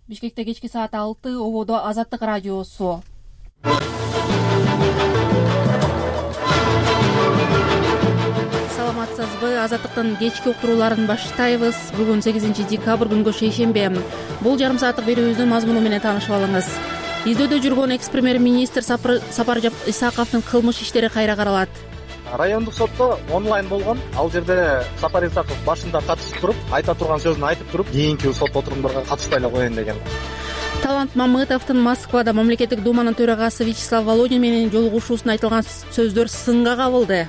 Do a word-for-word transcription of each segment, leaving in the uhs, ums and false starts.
Бишкекте кечки саат алты, ободо Азаттык радиосу. Саламатсызбы? Азаттыктын кечки уктурууларын баштайбыз. Бүгүн сегизинчи декабрь күнгө шейшембе. Бул жарым сааттык берүүбүздүн мазмуну менен таанышып алыңыз. Издөөдө жүргөн экс-премьер-министр Сапар Исаковдун кылмыш иштери кайра каралат. Райондук сотто онлайн болгон. Ал жерде Сапар Исаков башында катышып туруп, айта турган сөзүн айтып туруп, кийинки сот отурумдарга катышпай эле коеюн деген. Талант Мамытовдун Москвада мамлекеттик думанын төрагасы Вячеслав Володин менен жолугушуусунда айтылган сөздөр сынга кабылды.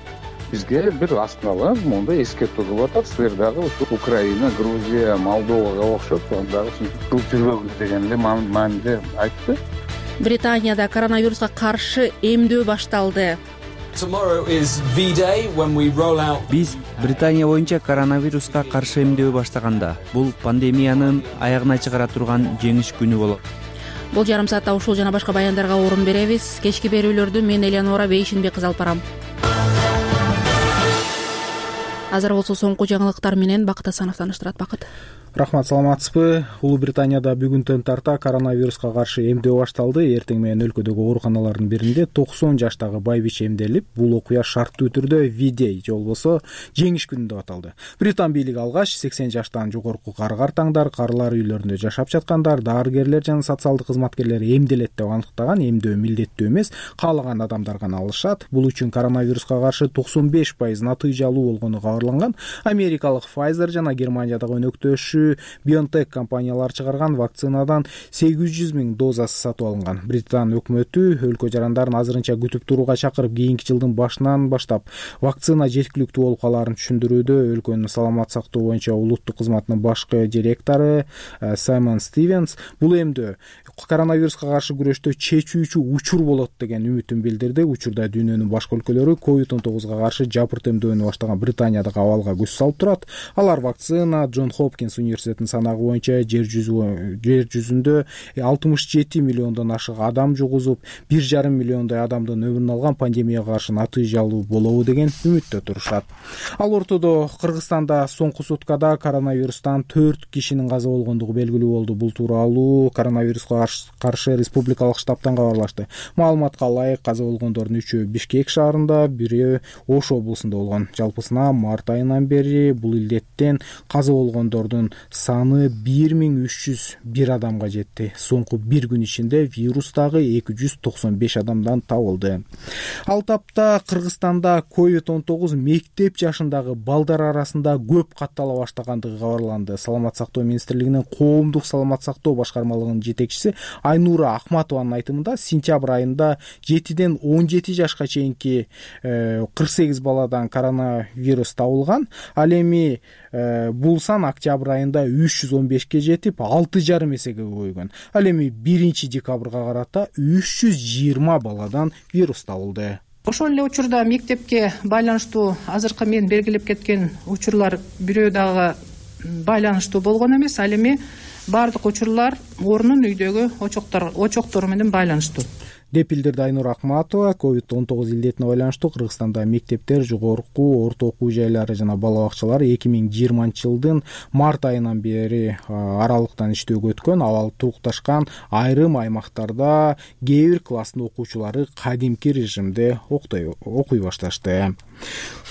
Бизге бир астынала мондай эскертүү кылып атат. Силер дагы Украина, Грузия, Молдовага окшоп дагы кылып жүрбөгүз деген эле мааниде айтты. Британияда коронавируска каршы эмдөө башталды. Биз Британия боюнча коронавируска каршы эмдөө баштаганда бул пандемиянын аягына чыгара турган жеңиш күнү болот. Бул жарым саатта ушул жана башка баяндарга орун беребиз. Кечки берүүлөрдү мен Элеонора Бейшинбек кызы алып барам. Азыр болсо соңку жаңылыктар менен Бакыт Асанов тааныштырат. Бакыт. Рахмат, саламатсызбы? Улуу Британияда бүгүндөн тарта коронавируска каршы эмдөө башталды. Эртең менен өлкөдөгү ооруканалардын биринде токсон жаштагы байбиче эмделип, бул окуя шарттуу түрдө V-Day же болбосо жеңиш күнү деп аталды. Британ бийлиги алгач сексен жаштан жогорку кары-картаңдар, карылар үйлөрүндө жашап жаткандар, дарыгерлер жана социалдык кызматкерлер эмделет деп аныктаган. Эмдөө милдеттүү эмес, каалаган адамдар гана алышат. Бул үчүн коронавируска каршы токсон беш пайыз натыйжалуу болгону кабарланган. Америкалык Pfizer жана Германиядагы өнөктөшү BioNTech компаниялар чыгарган вакцинадан сегиз жүз миң дозасы сатып алынган. Британ өкмөтү өлкө жарандарын азырынча күтүп турууга чакырып, кийинки жылдын башынан баштап вакцина жеткиликтүү болуп калаарын түшүндүрүүдө. Өлкөнүн саламат сактоо боюнча улуттук кызматынын башкы директору Саймон Стивенс бул эмдөө коронавируска каршы күрөштө чечүүчү учур болот деген үмүтүн билдирди. Учурда дүйнөнүн башка өлкөлөрү ковид он тогузга каршы жапырт эмдөөнү баштаган Британиядагы абалга көз салып турат. Алар вакцина Джон Хопкинс университетинин санагы боюнча жер жүзү жер жүзүндө алтымыш жети миллиондон ашык адам жугузуп, бир жарым миллиондой адамдын өмүрүн алган пандемияга каршы натыйжалуу болобу деген үмүттө турушат. Ал ортодо Кыргызстанда соңку суткада коронавирустан төрт кишинин каза болгондугу белгилүү болду. Бул тууралуу коронавируска каршы республикалык штабтан кабарлашты. Маалыматка ылайык, каза болгондордун үчөө Бишкек шаарында, бири Ош облусунда болгон. Жалпысына март айынан бери бул илдеттен каза болгондордун саны бир миң үч жүз бир адамга жетти. Соңку бир күн ичинде вирустагы эки жүз токсон беш адамдан табылды. Ал тапта Кыргызстанда ковид он тогуз мектеп жашындагы балдар арасында көп каттала баштагандыгы кабарланды. Саламат сактоо министрлигинин коомдук саламат сактоо башкармалыгынын жетекчиси Айнура Акматованын айтымында сентябрь айында жетиден он жети жашка чейинки кырк сегиз баладан коронавирус табылган. Ал эми бул сан октябрь айында үч жүз он бешке жетип, алты жарым эсеге көбөйгөн. Ал эми биринчи декабрга карата үч жүз жыйырма баладан вирус табылды. Ошол эле учурда мектепке байланыштуу азыркы мен белгилеп кеткен учурлар бирөө дагы байланыштуу болгон эмес. Ал эми бардык учурлар орнун үйдөгү очоктор очоктору менен байланыштуу деп билдирди Айнура Акматова. ковид он тогуз илдетине байланыштуу Кыргызстанда мектептер, жогорку, орто окуу жайлары жана бала бакчалар эки миң жыйырманчы жылдын март айынан бери аралыктан иштөөгө өткөн. Абал турукташкан айрым аймактарда кээ бир класстын окуучулары кадимки режимде окуй башташты.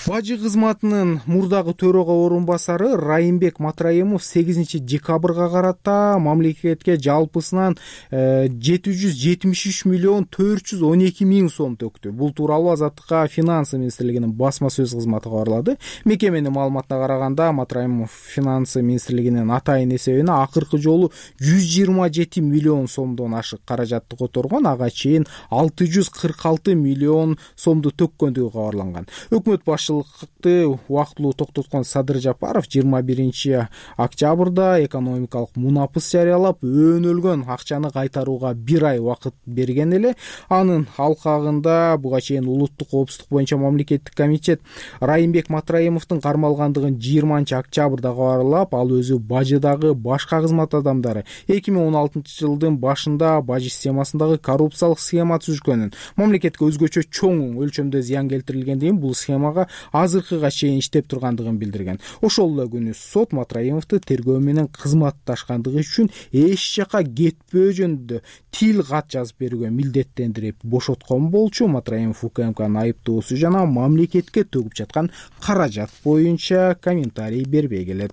Бажы кызматынын мурдагы төрага орун басары Райымбек Матраимов сегизинчи декабрга карата мамлекетке жалпысынан жети жүз жетимиш үч миллион төрт жүз он эки миң сом төктү. Бул тууралуу Азаттыкка Финансы министрлигинин басма сөз кызматы кабарлады. Мекеменин маалыматына караганда Матраимов Финансы министрлигинин атайын эсебине акыркы жолу жүз жыйырма жети миллион сомдон ашык каражатты которгон. Ага чейин алты жүз кырк алты миллион сомду төккөндүгү кабарланган. Өкмөт башчылыкты убактылуу токтоткон Садыр Жапаров жыйырма биринчи октябрда экономикалык мунапыс жарыялап, өөнөлгөн акчаны кайтарууга бир ай убакыт берген эле. Анын алкагында буга чейин улуттук коопсуздук боюнча мамлекеттик комитет Райымбек Матраимовдун кармалгандыгын жыйырманчы октябрда кабарлап, ал өзү бажыдагы башка кызмат адамдары эки миң он алтынчы жылдын башында бажы системасындагы коррупциялык схема түзүшкөнүн, мамлекетке өзгөчө чоң өлчөмдө зыян келтирилгендигин, бул схемага азыркыга чейин иштеп тургандыгын билдирген. Ошол эле күнү сот Матраимовду тергөө менен кызматташкандыгы үчүн эч жака кетпөө жөнүндө тил кат жазып берүүгө милдеттендирип бошоткон болчу. Матраимов УКМКнын айыптоосу жана мамлекетке төгүп жаткан каражат боюнча комментарий бербей келет.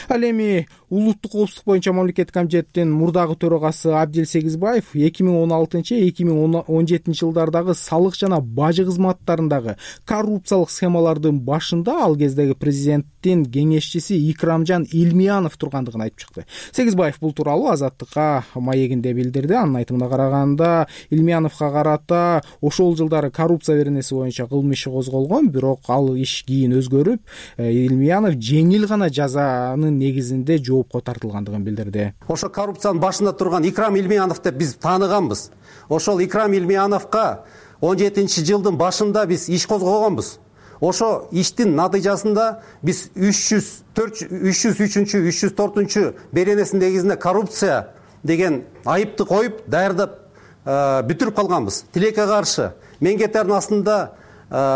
Ал эми улуттук коопсуздук боюнча мамлекеттик комитеттин мурдагы төрагасы Абдил Сегизбаев эки миң он алтынчы эки миң он жетинчи жылдардагы салык жана бажы кызматтарындагы коррупциялык схемалардын башында ал кездеги президенттин кеңешчиси Икрамжан Илмиянов тургандыгын айтып чыкты. Сегизбаев бул тууралуу Азаттыкка маегинде билдирди. Анын айтымына караганда Илмияновго карата ошол жылдары коррупция беренеси боюнча кылмыш иши козголгон, бирок ал иш кийин өзгөрүп, Илмиянов жеңил гана жазанын негизинде жоопко тартылгандыгын билдирди. Ошо коррупциянын башында турган Икрам Илмиянов деп биз тааныганбыз. Ошол Икрам Илмияновго он жетинчи жылдын башында биз иш козгогонбуз. Ошо иштин натыйжасында биз үч жүз үчүнчү үч жүз төртүнчү беренесинин негизинде коррупция деген айыпты коюп даярдап бүтүрүп калганбыз. Тилекке каршы меңгеттердин астында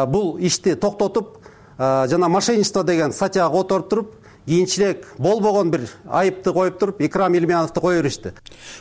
бул ишти токтотуп жана мошенничество деген статьяга которуп туруп, кийинчерээк болбогон бир айыпты коюп туруп Икрам Илмияновду кое беришти.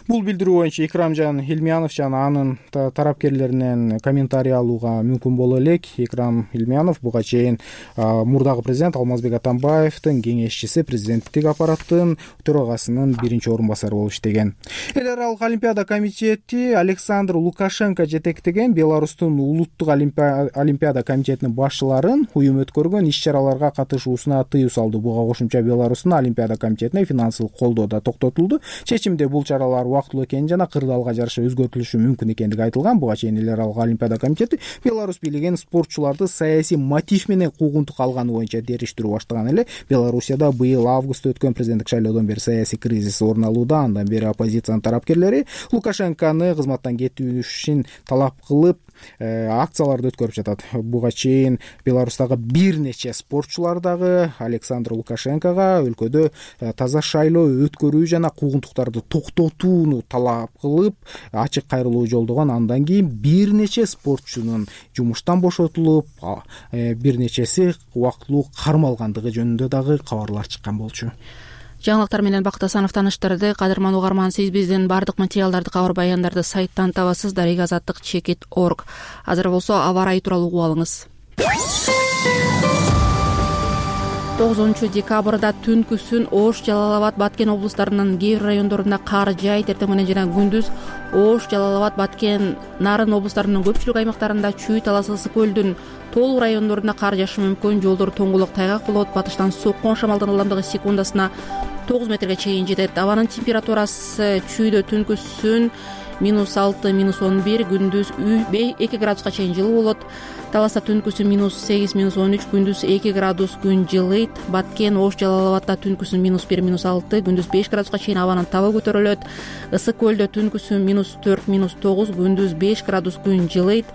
Бул билдирүү боюнча Икрамжан Илмиянов жана анын тарапкерлеринен комментарий алууга мүмкүн боло элек. Икрам Илмиянов буга чейин мурдагы президент Алмазбек Атамбаевдин кеңешчиси, президенттик аппараттын төрагасынын биринчи орун басары болуп иштеген. Эл аралык олимпиада комитети Александр Лукашенко жетектеген Беларустун улуттук олимпиада комитетинин башчыларын уюм өткөргөн иш-чараларга катышуусуна тыюу салды. Буга кошумча Беларустун олимпиада комитетине финансылык колдоо да токтотулду. Чечимде бул чаралар убактылуу экени жана кырдаалга жараша өзгөртүлүшү мүмкүн экендиги айтылган. Буга чейин эл аралык олимпиада комитети Беларусь бийлиген спортчуларды саясий мотив менен куугунтук алганы боюнча териштирүү баштаган эле. Белоруссияда быйыл августта өткөн президенттик шайлоодон бери саясий кризис орун алууда. Андан бери оппозициянын тарапкерлери Лукашенкону кызматтан кетүүшүн талап кылып акцияларды өткөрүп жатат. Буга чейин Беларустагы бир нече спортчулар дагы Александр Лукашенкого өлкөдө таза шайлоо өткөрүү жана куугунтуктарды токтотууну талап кылып ачык кайрылуу жолдогон. Андан кийин бир нече спортчунун жумуштан бошотулуп, бир нечеси убактылуу кармалгандыгы жөнүндө дагы кабарлар чыккан болчу. Жаңылыктар менен Бакыт Асанов тааныштырды. Кадырман угарман, сиз биздин бардык материалдарды, кабар баяндарды сайттан табасыз. Дарыга азаттык чекит точка орг. Азыр болсо аба ырайы тууралуу угуп алыңыз. тогузунчу декабрда түнкүсүн Ош, Жалал Абад, Баткен облустарынын кээ бир райондорунда кар жаайт. Эртең менен жана күндүз Ош, Жалал Абад, Баткен, Нарын облустарынын көпчүлүк аймактарында, Чүй, Талас, Ысык көлдүн толук райондорунда кар жаашы мүмкүн. Жолдор тоңгулук, тайгак болот. Батыштан соккон шамалдын ылдамдыгы секундасына тогуз метрге чейин жетет. Абанын температурасы Чүйдө түнкүсүн минус алты, минус он бир, күндүз эки градуска чейин жылуу болот. Таласта түнкүсүн минус сегиз, минус он үч, күндүз эки градус күн жылыйт. Баткен, Ош, Жалал Абадда түнкүсүн минус бир, минус алты, күндүз беш градуска чейин абанын табы көтөрүлөт. Ысык көлдө түнкүсүн минус төрт, минус тогуз, күндүз беш градус күн жылыйт.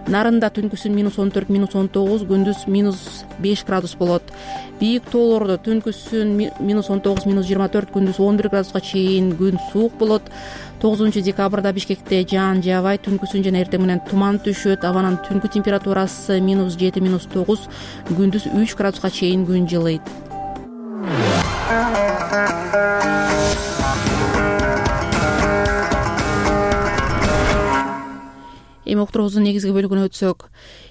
Нарында түнкүсүн минус он төрт, минус он тогуз, күндүз минус беш градус болот. Бийик тоолордо түнкүсүн минус он тогуз, минус жыйырма төрт, күндүз он бир градуска чейин күн суук болот. тогузунчу декабрда Бишкекте жаан жаабайт. Түнкүсүн жана эртең менен туман түшөт. Абанын түнкү температурасы минус жети, минус тогуз, күндүз үч градуска чейин күн жылыйт. Эми уктуруубуздун негизги бөлүгүнө өтсөк,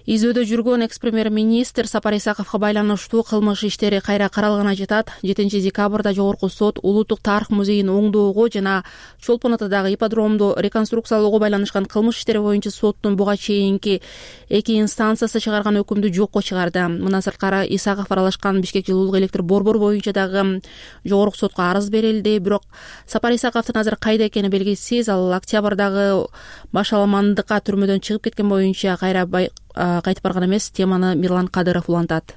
изөөдө жүргөн экс-премьер-министр Сапар Исаковго байланыштуу кылмыш иштери кайра каралганы жатат. жетинчи декабрда Жогорку сот Улуттук тарых музейин оңдоого жана Чолпон Атадагы ипподромду реконструкциялоого байланышкан кылмыш иштери боюнча соттун буга чейинки эки инстанциясы чыгарган өкүмдү жокко чыгарды. Мындан сырткары Исаков аралашкан Бишкек жылуулук электр борбор боюнча дагы Жогорку сотко арыз берилди. Бирок Сапар Исаковдун азыр кайда экени белгисиз. Ал октябрдагы башаламандыкка түрмөдөн чыгып кеткен боюнча кайра кайтып барган эмес. Теманы Мирлан Кадыров улантат.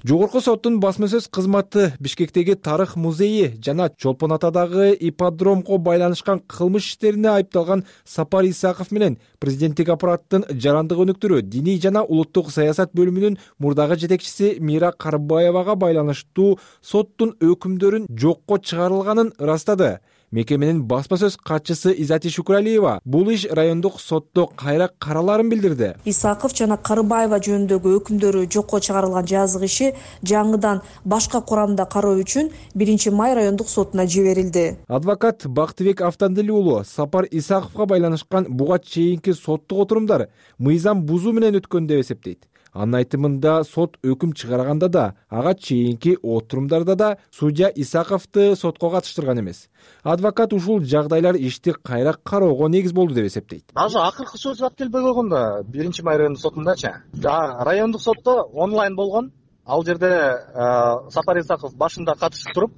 Жогорку соттун басма сөз кызматы Бишкектеги тарых музейи жана Чолпон Атадагы ипподромго байланышкан кылмыш иштерине айыпталган Сапар Исаков менен президенттик аппараттын жарандык өнүктүрүү диний жана улуттук саясат бөлүмүнүн мурдагы жетекчиси Мира Карбаевага байланыштуу соттун өкүмдөрүн жокко чыгарылганын ырастады. Мекеменин басма сөз катчысы Изати Шукуралиева бул иш райондук сотто кайра караларын билдирди. Исаков жана Карыбаева жөнүндөгү өкүмдөрү жокко чыгарылган жазык иши жаңыдан башка курамда кароо үчүн биринчи май райондук сотуна жиберилди. Адвокат Бактыбек Автандили уулу Сапар Исаковго байланышкан буга чейинки соттук отурумдар мыйзам бузуу менен өткөн деп эсептейт. Анын айтымында сот өкүм чыгарганда да, ага чейинки отурумдарда да судья Исаковду сотко катыштырган эмес. Адвокат ушул жагдайлар ишти кайра кароого негиз болду деп эсептейт. Даже акыркы сөз келбей койгон да биринчи май райондук сотундачы. Райондук сотто онлайн болгон. Ал жерде Сапар Исаков башында катышып туруп,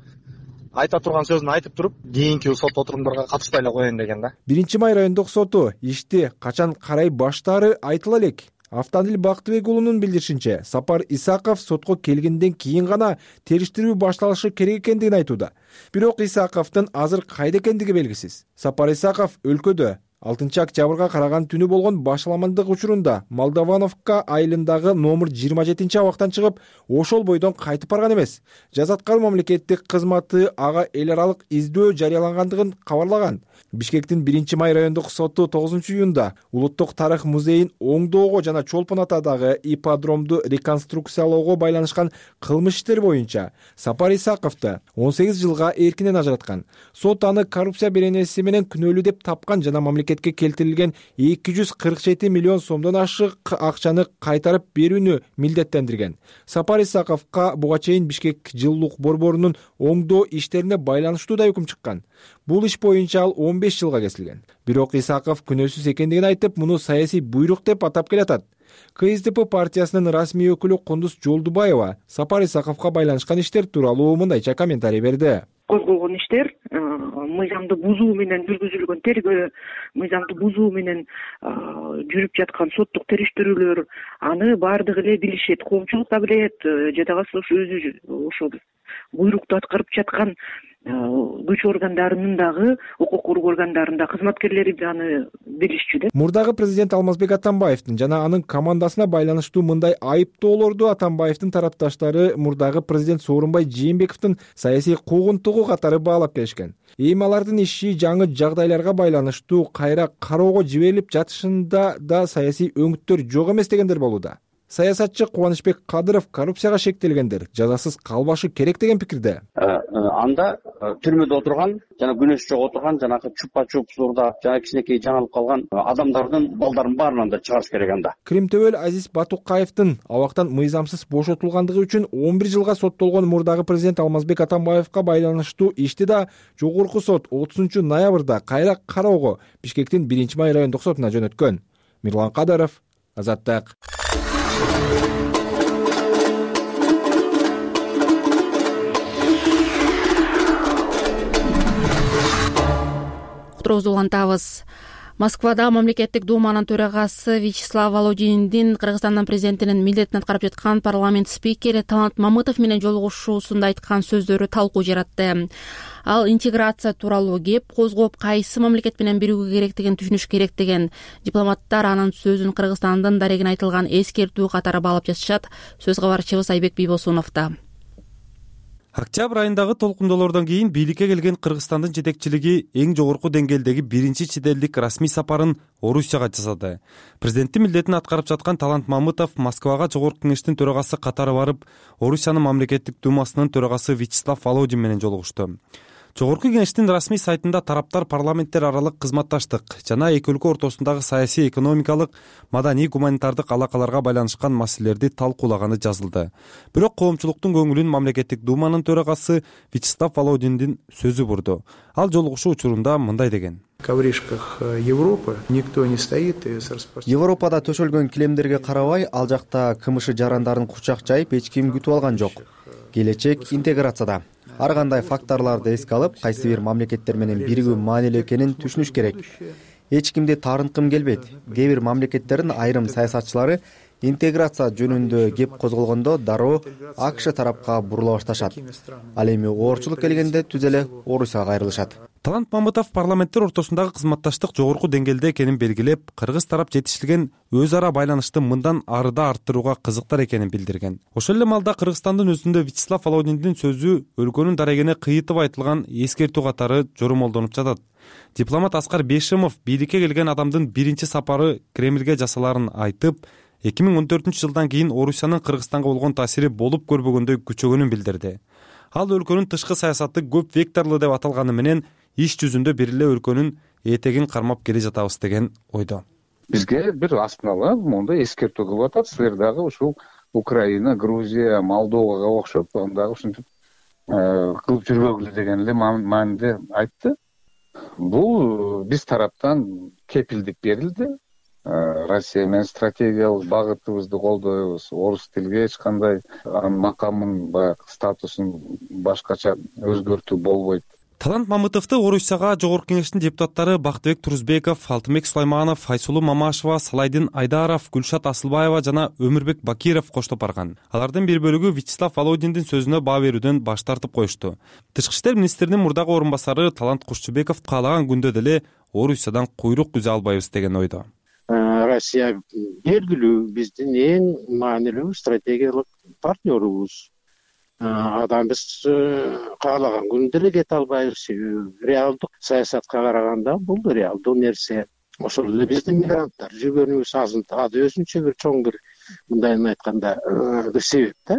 айта турган сөзүн айтып туруп, кийинки сот отурумдарга катышпай эле коеюн деген да. биринчи май райондук соту ишти качан карай баштаары айтыла элек. Автандил Бактыбек уулунун билдиришинче, Сапар Исаков сотко келгенден кийин гана териштирүү башталышы керек экендигин айтууда. Бирок Исаковдун азыр кайда экендиги белгисиз. Сапар Исаков өлкөдө алтынчы октябрга караган түнү болгон башаламандык учурунда Молдовановка айылындагы номер жыйырма жетинчи абактан чыгып, ошол бойдон кайтып барган эмес. Жазаткан мамлекеттик кызматы ага эл аралык издөө жарыялангандыгын кабарлаган. Бишкектин биринчи май райондук соту тогузунчу июнда Улуттук тарых музейин оңдоого жана Чолпон атадагы ипподромду реконструкциялоого байланышкан кылмыш иштери боюнча Сапар Исаковду он сегиз жылга эркинен ажыраткан. Сот аны коррупция беренеси менен күнөөлүү деп тапкан жана мамлекетке келтирилген эки жүз кырк жети миллион сомдон ашык акчаны кайтарып берүүнү милдеттендирген. Сапар Исаковго буга чейин Бишкек жылуулук борборунун оңдоо иштерине байланыштуу да өкүм чыккан. Бул иш боюнча ал он беш жылга кесилген. Бирок Исаков күнөөсүз экендигин айтып, муну саясий буйрук деп атап келатат. КСДП партиясынын расмий өкүлү Кундуз Жолдубаева Сапар Исаковго байланышкан иштер тууралуу мындайча комментарий берди. Козголгон иштер мыйзамды бузуу менен жүргүзүлгөн тергөө, мыйзамды бузуу менен жүрүп жаткан соттук териштирүүлөр, аны баардыгы эле билишет, коомчулук да билет, жадагасы өзү ошол буйрукту аткарып жаткан күч органдарынын дагы, укук коргоо органдарында кызматкерлери аны билишчү да. Мурдагы президент Алмазбек Атамбаевдин жана анын командасына байланыштуу мындай айыптоолорду Атамбаевдин тарапташтары мурдагы президент Сооронбай Жээнбековдун саясий куугунтугу катары баалап келишкен. Эми алардын иши жаңы жагдайларга байланыштуу кайра кароого жиберилип жатышында да саясий өңүттөр жок эмес дегендер болууда. Саясатчы Кубанычбек Кадыров коррупцияга шектелгендер жазасыз калбашы керек деген пикирде. Анда түрмөдө отурган жана күнөөсү жок отурган жанагы чупа-чупсурда жана кичинекей жаңылып калган адамдардын балдарын баарынан да чыгарыш керек анда. Кримтөбөл Азиз Батукаевдин абактан мыйзамсыз бошотулгандыгы үчүн он бир жылга соттолгон мурдагы президент Алмазбек Атамбаевга байланыштуу ишти да жогорку сот отузунчу ноябрда кайра кароого Бишкектин биринчи май райондук сотуна жөнөткөн. Мирлан Кадыров, Азаттык. Уктуруубузду улантабыз. Москвада мамлекеттик думанын төрагасы Вячеслав Володиндин Кыргызстандын президентинин милдетин аткарып жаткан парламент спикери Талант Мамытов менен жолугушуусунда айткан сөздөрү талкуу жаратты. Ал интеграция тууралуу кеп козгоп, кайсы мамлекет менен биригүү керектигин түшүнүш керек деген. Дипломаттар анын сөзүн Кыргызстандын дарегине айтылган эскертүү катары баалап жатышат. Сөз кабарчыбыз Айбек Бийбосуновдо. Октябрь айындагы толкундоолордон кийин бийликке келген Кыргызстандын жетекчилиги эң жогорку деңгээлдеги биринчи чет элдик расмий сапарын Орусияга жасады. Президенттин милдетин аткарып жаткан Талант Мамытов Москвага жогорку кеңештин төрагасы катары барып, Орусиянын мамлекеттик думасынын төрагасы Вячеслав Володин менен жолугушту. Жогорку кеңештин расмий сайтында тараптар парламенттер аралык кызматташтык жана эки өлкө ортосундагы саясий, экономикалык, маданий, гуманитардык алакаларга байланышкан маселелерди талкуулаганы жазылды. Бирок коомчулуктун көңүлүн мамлекеттик думанын төрагасы Вячеслав Володиндин сөзү бурду. Ал жолугушуу учурунда мындай деген: ковришках Европы никто не стоит и с распоряжением. Европада төшөлгөн килемдерге карабай, ал жакта КМШ жарандарын кучак жайып эч ким күтүп алган жок. Келечек интеграцияда. Ар кандай факторлорду эске алып, кайсы бир мамлекеттер менен биригүү маанилүү экенин түшүнүш керек. Эч кимди таарынткым келбейт. Кээ бир мамлекеттердин айрым саясатчылары интеграция жөнүндө кеп козголгондо дароо АКШ тарапка бурула башташат. Ал эми оорчулук келгенде түз эле Орусияга кайрылышат. Талант Мамытов парламенттер ортосундагы кызматташтык жогорку деңгээлде экенин белгилеп, кыргыз тарап жетишилген өз ара байланышты мындан арыда арттырууга кызыктар экенин билдирген. Ошол эле маалда Кыргызстандын өзүндө Вячеслав Володиндин сөзү өлкөнүн дарегине кыйытып айтылган эскертүү катары жормолдонуп жатат. Дипломат Аскар Бейшимов бийликке келген адамдын биринчи сапары Кремльге жасаларын айтып, эки миң он төртүнчү жылдан кийин Орусиянын Кыргызстанга болгон таасири болуп көрбөгөндөй күчөгөнүн билдирди. Ал өлкөнүн тышкы саясаты көп векторлуу деп аталганы менен иш жүзүндө бир эле өлкөнүн этегин кармап келе жатабыз деген ойдо. Бизге бир астынала моундай эскертүү кылып атат. Силер дагы ушул Украина, Грузия, Молдовага окшоп андагы ушинтип кылып жүрбөгүлө деген эле мааниде айтты. Бул биз тараптан кепилдик берилди. Россия менен стратегиялык багытыбызды колдойбуз. Орус тилге эч кандай анын макамын, баягы статусун башкача өзгөртүү болбойт. Талант Мамытовду Орусияга Жогорку Кеңештин депутаттары Бактыбек Турузбеков, Алтынбек Сулайманов, Айсулуу Мамашева, Салайдин Айдаров, Гүлшат Асылбаева жана Өмүрбек Бакиров коштоп барган. Алардын бир бөлүгү Вячеслав Володиндин сөзүнө баа берүүдөн баш тартып коюшту. Тышкы иштер министринин мурдагы орун басары Талант Кушчубеков каалаган күндө деле Орусиядан куйрук үзө албайбыз деген ойдо. Россия белгилүү биздин эң маанилүү стратегиялык партнерубуз. Адам биз каалаган күндө эле кете албайбыз. Реалдык саясатка караганда бул реалдуу нерсе. Ошол эле биздин мигранттар жүргөнүбүз азыр өзүнчө бир чоң бир мындайын айтканда бир себеп да.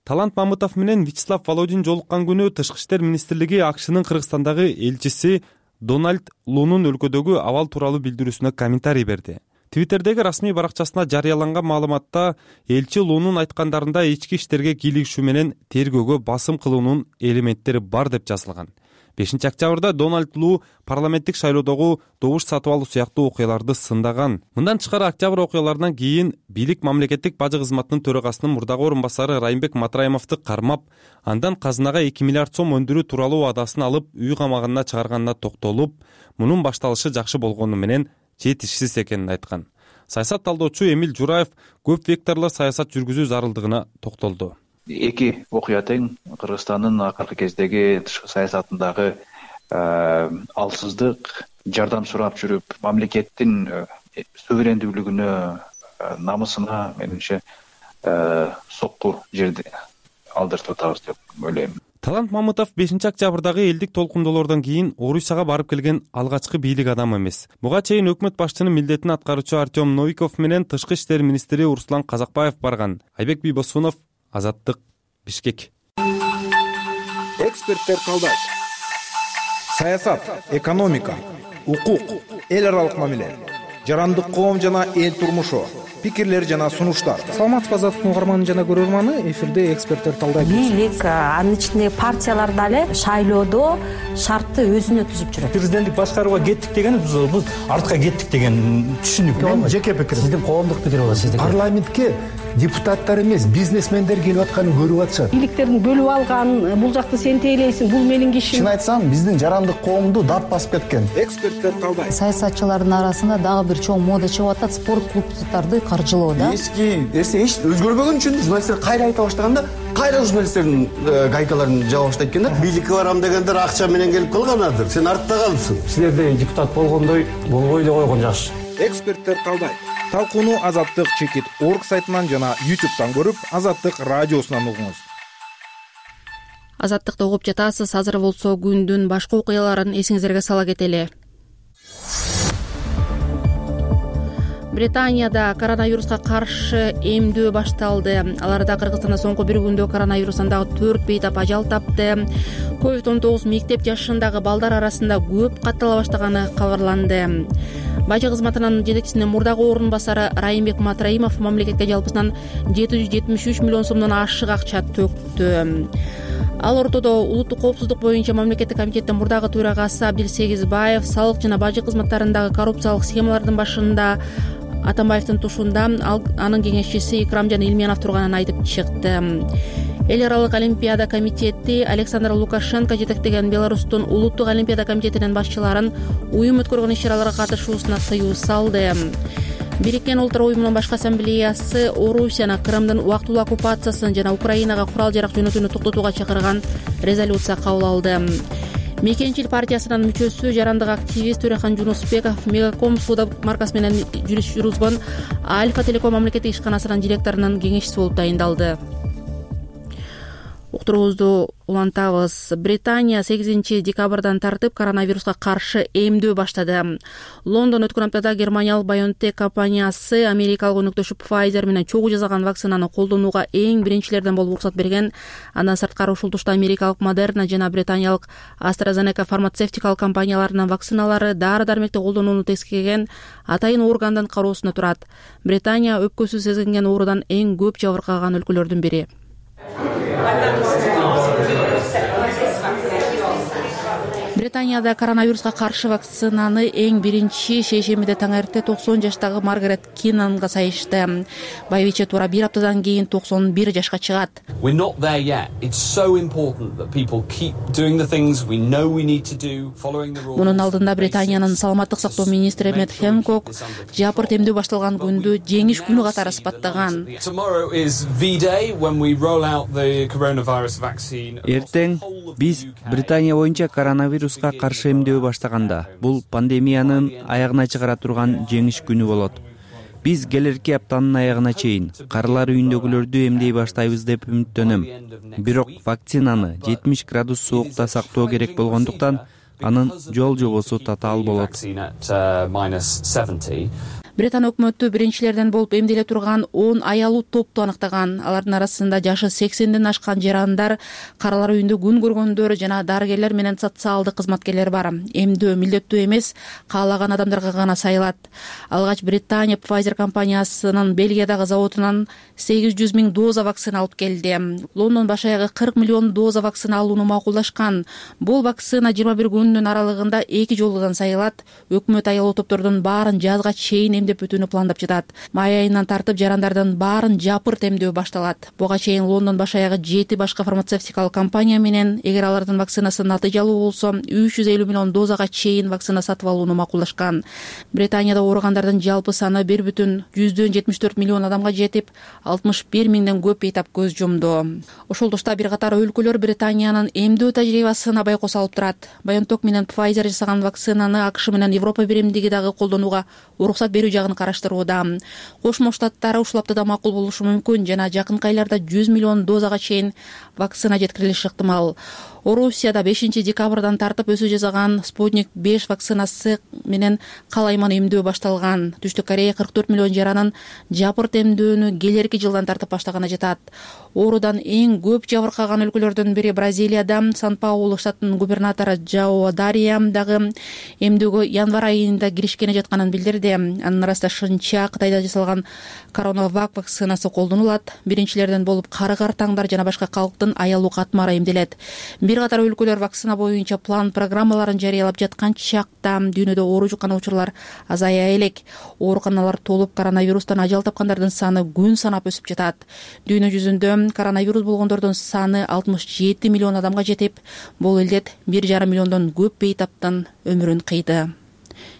Талант Мамытов менен Вячеслав Володин жолуккан күнү Тышкы иштер министрлиги АКШнын Кыргызстандагы элчиси Дональд Лунун өлкөдөгү абал тууралуу билдирүүсүнө комментарий берди. Твиттердеги расмий баракчасына жарыяланган маалыматта элчи Лунун айткандарында ички иштерге кийлигишүү менен тергөөгө басым кылуунун элементтери бар деп жазылган. бешинчи октябрда Дональд Лу парламенттик шайлоодогу добуш сатып алуу сыяктуу окуяларды сындаган. Мындан тышкары октябрь окуяларынан кийин бийлик мамлекеттик бажы кызматынын төрагасынын мурдагы орун басары Райымбек Матраимовду кармап, андан казынага эки миллиард сом өндүрүү тууралуу абадасын алып үй камагына чыгарганына токтолуп, мунун башталышы жакшы болгону менен жетишсиз экенин айткан. Саясат талдоочу Эмил Жураев көп векторлуу саясат жүргүзүү зарылдыгына токтолду. Эки окуя тең Кыргызстандын акыркы кездеги тышкы саясатындагы алсыздык, жардам сурап жүрүп, мамлекеттин суверендүүлүгүнө, намысына менимче сокку жерди алдыртып атабыз деп ойлойм. Талант Мамытов бешинчи октябрдагы элдик толкундоолордон кийин Орусияга барып келген алгачкы бийлик адамы эмес. Буга чейин өкмөт башчынын милдетин аткаруучу Артем Новиков менен Тышкы иштер министри Руслан Казакбаев барган. Айбек Бийбосунов, Азаттык, Бишкек. Эксперттер талдайт. Саясат, экономика, укук, эл аралык мамиле, жарандык коом жана эл турмушу, пикирлер жана сунуштар. Саламатсызбы, Азаттыктын угарманы жана көрөрманы, эфирде эксперттер талдайт. Бийлик, анын ичинде партиялар дагы шайлоодо шартты өзүнө түзүп жүрөт. Президенттик башкарууга кеттик деген биз артка кеттик деген түшүнүк. Мен жеке пикирим. Сиздин коомдук пикир болот, сиздики. Парламентке депутаттар эмес, бизнесмендер келип атканын көрүп атышат. Бийликтердин бөлүп алган, бул жакты сен тейлейсиң, бул менин кишим. Чын айтсам, биздин жарандык коомду дат басып кеткен. Эксперттер талдайт. Саясатчылардын арасында дагы бир чоң мода чыгып атат, спорт клубдарды каржылоо да. Эски эсе эч өзгөрбөгөн үчүн журналисттер кайра айта баштаганда, кайра журналисттердин гайкаларын жаба баштайт экен да. Бийликке барам дегендер акча менен келип калганадыр. Сен артта калыпсың. Силерде депутат болгондой болбой эле койгон жакшы. Эксперттер талдайт. Талкууну Азаттык чекит орг сайтынан жана ютубтан көрүп, Азаттык радиосунан угуңуз. Азаттыкты угуп жатасыз. Азыр болсо күндүн башка окуяларын эсиңиздерге сала кетели. Британияда коронавируска каршы эмдөө башталды. Аларда Кыргызстанда соңку бир күндө коронавирустан дагы төрт бейтап ажал тапты. ковид он тогуз мектеп жашындагы балдар арасында көп каттала баштаганы кабарланды. Бажы кызматынын жетекчисинин мурдагы орун басары Райымбек Матраимов мамлекетке жалпысынан жети жүз жетимиш үч миллион сомдон ашык акча төктү. Ал ортодо улуттук коопсуздук боюнча мамлекеттик комитеттин мурдагы төрагасы Абдил Сегизбаев салык жана бажы кызматтарындагы коррупциялык схемалардын башында Атамбаевдин тушунда анын кеңешчиси Икрамжан Илменов турганын айтып чыкты. Эл аралык олимпиада комитети Александр Лукашенко жетектеген Беларустун улуттук олимпиада комитетинин башчыларын уюм өткөргөн иш-чараларга катышуусуна тыюу салды. Бириккен Улуттар уюмунун башкы ассамблеясы Орусияны Крымдын убактылуу оккупациясын жана Украинага курал-жарак жөнөтүүнү токтотууга чакырган резолюция кабыл алды. Мекенчил партиясынын мүчөсү жарандык активист Төрехан Жунусбеков Мегаком сууда маркасы менен жүрүш жүргүзгөн Альфа Телеком мамлекеттик ишканасынын директорунун кеңешчиси болуп тайындалды. Уктуруубузду улантабыз. Британия сегизинчи декабрдан тартып коронавируска каршы эмдөө баштады. Лондон өткөн аптада германиялык BioNTech компаниясы америкалык өнөктөшү Pfizer менен чогуу жасаган вакцинаны колдонууга эң биринчилерден болуп уруксат берген. Андан сырткары ушул тушта америкалык Moderna жана британиялык AstraZeneca фармацевтикалык компанияларынын вакциналары дары-дармекти колдонууну тескерген атайын ооргандан кароосунда турат. Британия өпкөсү сезинген оорудан эң көп жабыркаган өлкөлөрдүн бири. Британияда коронавируска каршы вакцинаны эң биринчи шейшембиде таң эрте токсон жаштагы Маргарет Киннанга сайышты. Байбиче туура бир аптадан кийин токсон бир жашка чыгат. Мунун алдында Британиянын саламаттык сактоо министри Мэтт Хэнкок жапырт эмдөө башталган күндү жеңиш күнү катары сыпаттаган. Эртең биз Британия боюнча коронавируска каршы эмдөө баштаганда бул пандемиянын аягына чыгара турган жеңиш күнү болот. Биз келерки аптанын аягына чейин карылар үйүндөгүлөрдү эмдей баштайбыз деп үмүттөнөм. Бирок вакцинаны жетимиш градус соокта сактоо керек болгондуктан анын жол жобосу татаал болот. Британ өкмөтү биринчилерден болуп эмделе турган он аялуу топту аныктаган. Алардын арасында жашы сексенден ашкан жарандар, каралар үйүндө күн көргөндөр жана дарыгерлер менен социалдык кызматкерлер бар. Эмдөө милдеттүү эмес, каалаган адамдарга гана сайылат. Алгач Британия Pfizer компаниясынын Бельгиядагы заводунан сегиз жүз миң доза вакцина алып келди. Лондон баш аягы кырк миллион доза вакцина алууну макулдашкан. Бул вакцина жыйырма бир күндүн аралыгында эки жолудан сайылат. Өкмөт аялуу топтордун баарын жазга чейин деп бүтүүнү пландап жатат. Май айынан тартып жарандардын баарын жапырт эмдөө башталат. Буга чейин Лондон баш аягы жети башка фармацевтикалык компания менен эгер алардын вакцинасы натыйжалуу болсо үч жүз элүү миллион дозага чейин вакцина сатып алууну макулдашкан. Британияда ооругандардын жалпы саны бир бүтүн жүздөн жетимиш төрт миллион адамга жетип, алтымыш бир миңден көп бейтап көз жумду. Ошол тушта бир катар өлкөлөр Британиянын эмдөө тажрыйбасына байкос алып турат. BioNTech менен Pfizer жасаган вакцинаны АКШ менен Европа биримдиги дагы колдонууга уруксат берүү жагын караштырууда. Кошмо Штаттары ушул аптада макул болушу мүмкүн жана жакынкы айларда жүз миллион дозага чейин вакцина жеткирилиши ыктымал. Орусияда бешинчи декабрдан тартып өсү жасаган Спутник беш вакцинасы менен калайман эмдөө башталган. Түштүк Корея кырк төрт миллион жаранын жапырт эмдөөнү келерки жылдан тартып баштаганы жатат. Оорудан эң көп жабыркаган өлкөлөрдүн бири Бразилияда Сан-Паулу штатынын губернатору Жао Дария дагы эмдөөгө январь айында киришкени жатканын билдирди. Анын арасында шынча Кытайда жасалган Коронавак вакцинасы колдонулат. Биринчилерден болуп кары картаңдар жана башка калктын аялуу катмары эмделет. Бир катар өлкөлөр вакцина боюнча план программаларын жарыялап жаткан чакта дүйнөдө оору жуккан учурлар азая элек. Ооруканалар толуп, коронавирустан ажал тапкандардын саны күн санап өсүп жатат. Дүйнө жүзүндө коронавирус болгондордун саны алтымыш жети миллион адамга жетип, бул элдет бир жарым миллиондон көп бейтаптын өмүрүн кыйды.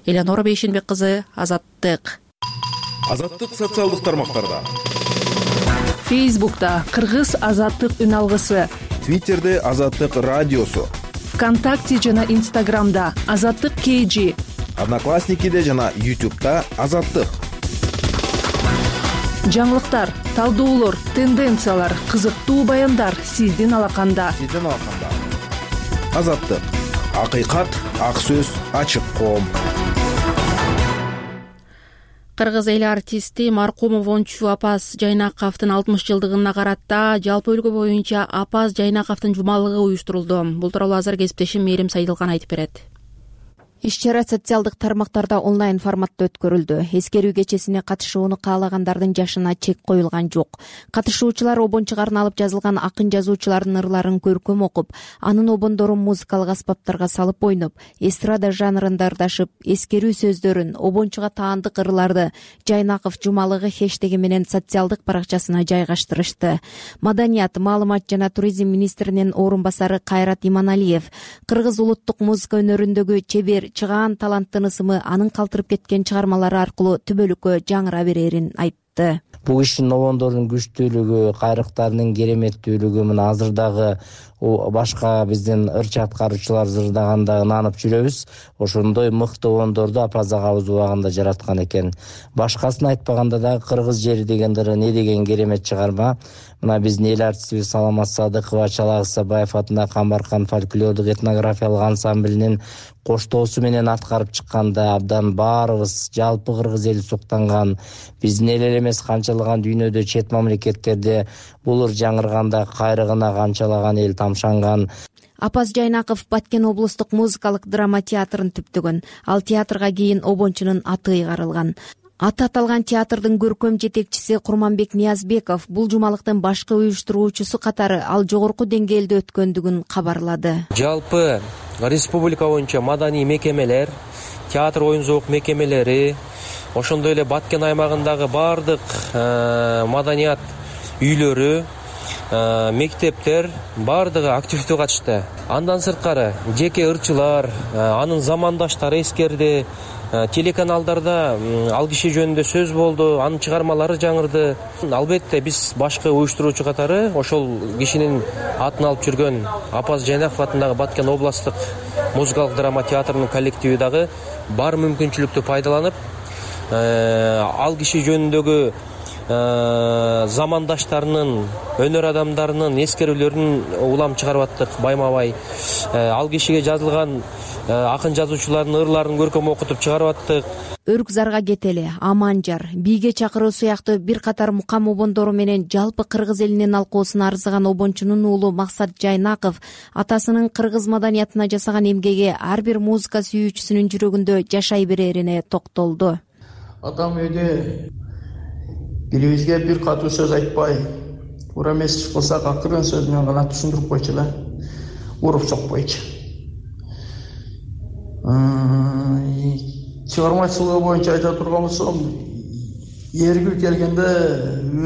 Элеонора Бейшенбек кызы, Азаттык. Азаттык социалдык тармактарда. Фейсбукта Кыргыз Азаттык үн алгысы. Твиттерде Азаттык радиосу. ВКонтакте жана Инстаграмда Азаттык кей джи. Одноклассникиде жана Ютубта Азаттык. Жаңылыктар, талдоолор, тенденциялар, кызыктуу баяндар сиздин алаканда. Сиздин алаканда. Азаттык. Акыйкат, ак сөз, ачык коом. Кыргыз эл артисти Маркумов Ончу Апаз Жайнаковдун алтымыш жылдыгына карата жалпы өлкө боюнча Апаз Жайнаковдун жумалыгы уюштурулду. Бул тууралуу азыр кесиптешим Мээрим Сайдылган айтып берет. Иш-чара социалдык тармактарда онлайн форматта өткөрүлдү. Эскерүү кечесине катышууну каалагандардын жашына чек коюлган жок. Катышуучулар обончуга арналып жазылган акын жазуучулардын ырларын көркөм окуп, анын обондорун музыкалык аспаптарга салып ойноп, эстрада жанрында ырдашып, эскерүү сөздөрүн, обончуга таандык ырларды Жайнаков жумалыгы хэштеги менен социалдык баракчасына жайгаштырышты. Маданият, маалымат жана туризм министринин орун басары Кайрат Иманалиев кыргыз улуттук музыка өнөрүндөгү чебер чыгаан таланттын ысымы анын калтырып кеткен чыгармалары аркылуу түбөлүккө жаңыра берерин айтты. Бул кишинин обондорунун күчтүүлүгү, кайрыктарынын кереметтүүлүгү мына азыр дагы башка биздин ырчы аткаруучулар ырдаганда ынанып жүрөбүз. Ошондой мыкты обондорду Апаз агабыз убагында жараткан экен. Башкасын айтпаганда дагы Кыргыз жери деген ыры не деген керемет чыгарма. Мына биздин эл артистибиз Саламат Садыкова Чалак Исабаев атындагы Камбаркан фольклордук этнографиялык ансамблинин коштоосу менен аткарып чыкканда абдан баарыбыз жалпы кыргыз эли суктанган. Биздин эл эле эмес канчалаган дүйнөдө чет мамлекеттерде бул ыр жаңырганда кайрыгына канчалаган эл тамшанган. Апаз Жайнаков Баткен облустук музыкалык драма театрын түптөгөн. Ал театрга кийин обончунун аты ыйгарылган. Аты аталган театрдын көркөм жетекчиси Курманбек Ниязбеков бул жумалыктын башкы уюштуруучусу катары ал жогорку деңгээлде өткөндүгүн кабарлады. Жалпы республика боюнча маданий мекемелер, театр оюн зоок мекемелери, ошондой эле Баткен аймагындагы бардык маданият үйлөрү, мектептер бардыгы активдүү катышты. Андан сырткары жеке ырчылар, анын замандаштары эскерди. Телеканалдарда ал киши жөнүндө сөз болду, анын чыгармалары жаңырды. Албетте биз башкы уюштуруучу катары ошол кишинин атын алып жүргөн Апаз Жайнаков атындагы Баткен областтык музыкалык драма театрынын коллективи дагы бар мүмкүнчүлүктү пайдаланып, ал киши жөнүндөгү замандаштарынын, өнөр адамдарынын эскерүүлөрүн улам чыгарып аттык байма-бай. Ал кишиге жазылган акын жазуучулардын ырларын көркөм окутуп чыгарып аттык. Өрүк зарга кетели, Аманжар, бийге чакыруу сыяктуу бир катар мукам обондору менен жалпы кыргыз элинин алкоосуна арзыган обончунун уулу Максат Жайнаков атасынын кыргыз маданиятына жасаган эмгеги ар бир музыка сүйүүчүсүнүн жүрөгүндө жашай берерине токтолду. Атам үйдө бирибизге бир катуу сөз айтпай, туура эмес иш кылсак акырын сөз менен гана түшүндүрүп койчу эле, уруп сокпойчу. Чыгармачылыгы боюнча айта турган болсом, эргил келгенде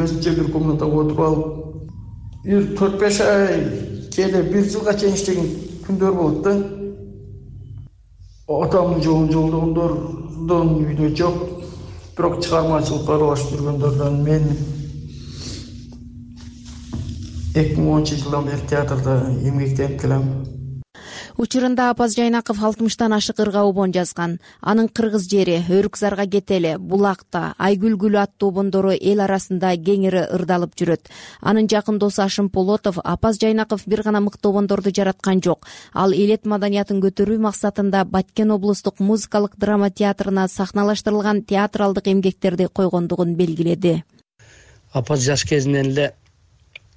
өзүнчө бир комнатага отуруп алып, бир төрт беш ай кээде бир жылга чейин иштеген күндөр болот да. Атамдын жолун жолдогондордон үйдө жок. Бирок чыгармачылыкка аралашып жүргөндөрдөн мен эки миң онунчу жылдан бери театрда эмгектенип келем. Учурунда Апаз Жайнаков алтымыштан ашык ырга обон жазган. Анын Кыргыз жери, Өрүк зарга кетели, Булакта, Айгүл гүлү аттуу обондору эл арасында кеңири ырдалып жүрөт. Анын жакын досу Ашым Полотов Апаз Жайнаков бир гана мыкты обондорду жараткан жок. Ал элет маданиятын көтөрүү максатында Баткен облустук музыкалык драма театрына сахналаштырылган театралдык эмгектерди койгондугун белгиледи. Апаз жаш кезинен эле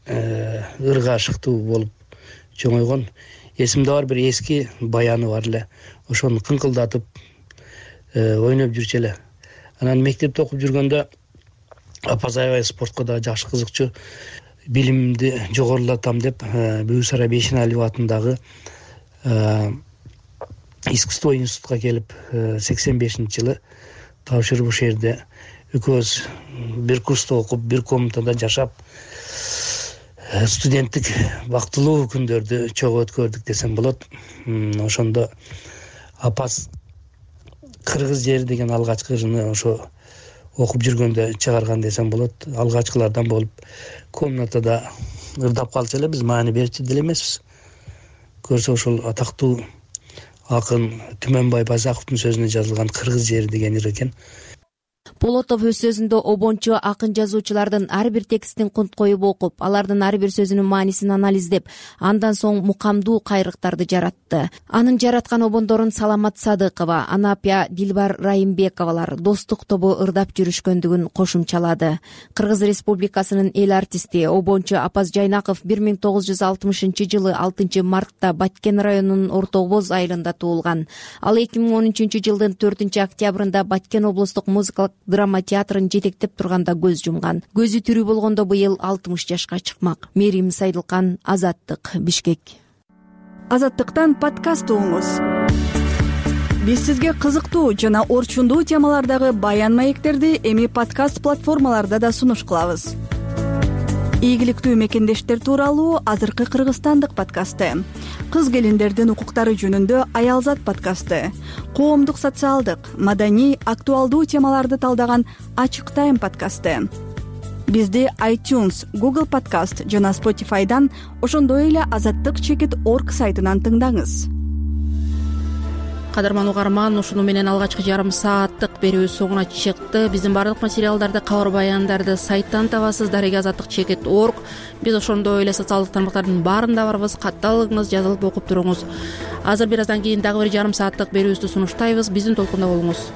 ырга ашыктуу болуп чоңойгон. Эсимде бар бир эски баяны бар эле. Ошону кыңкылдатып ойноп жүрчү эле. Анан мектепте окуп жүргөндө Апаз аябай спортко да жакшы кызыкчу. Билимди жогорулатам деп Бүйүк Бейшеналиева атындагы искусство институтка келип сексен бешинчи жылы тапшырып ушул жерде экөөбүз бир курста окуп, бир комнатада жашап студенттик бактылуу күндөрдү чогуу өткөрдүк десем болот. Ошондо Апаз Кыргыз жери деген алгачкы ырыны ошо окуп жүргөндө чыгарган десем болот. Алгачкылардан болуп комнатада ырдап калчу эле, биз маани берчү деле эмеспиз. Көрсө ошол атактуу акын Түмөнбай Байзаковдун сөзүнө жазылган Кыргыз жери деген ыр экен. Полотов өз сөзүндө обончу акын жазуучулардын ар бир текстин кунт коюп окуп, алардын ар бир сөзүнүн маанисин анализдеп, андан соң мукамдуу кайрыктарды жаратты. Анын жараткан обондорун Саламат Садыкова, Анапия Дилбар Райымбековалар достук тобу ырдап жүрүшкөндүгүн кошумчалады. Кыргыз Республикасынын эл артисти, обончу Апаз Жайнаков бир миң тогуз жүз алтымышынчы жылы алтынчы мартта Баткен районунун Орто Обоз айылында туулган. Ал эки миң он үчүнчү жылдын төртүнчү октябрында Баткен облустук музыкалык драма театрын жетектеп турганда көз жумган. Көзү тирүү болгондо быйыл алтымыш жашка чыкмак. Мерим Сайдылкан, Азаттык, Бишкек. Азаттыктан подкаст угуңуз. Биз сизге кызыктуу жана орчундуу темалардагы баян маектерди эми подкаст платформаларда да сунуш кылабыз. Ийгиликтүү мекендештер тууралуу азыркы кыргызстандык подкасты, кыз келиндердин укуктары жөнүндө Аялзат подкасты, коомдук социалдык, маданий, актуалдуу темаларды талдаган Ачык тайм подкасты. бизди iTunes, Google Podcast жана Spotify'дан, ошондой эле азаттык чекит орг сайтынан тыңдаңыз. Кадырман угарман, ушуну менен алгачкы жарым сааттык берүү соңуна чыкты. Биздин бардык материалдарды, кабар баяндарды сайттан табасыз, дареги азаттык чекит орг. Биз ошондой эле социалдык тармактардын баарында барбыз. Катталыңыз, жазылып окуп туруңуз. Азыр бир аздан кийин дагы бир жарым сааттык берүүбүздү сунуштайбыз. Биздин толкунда болуңуз.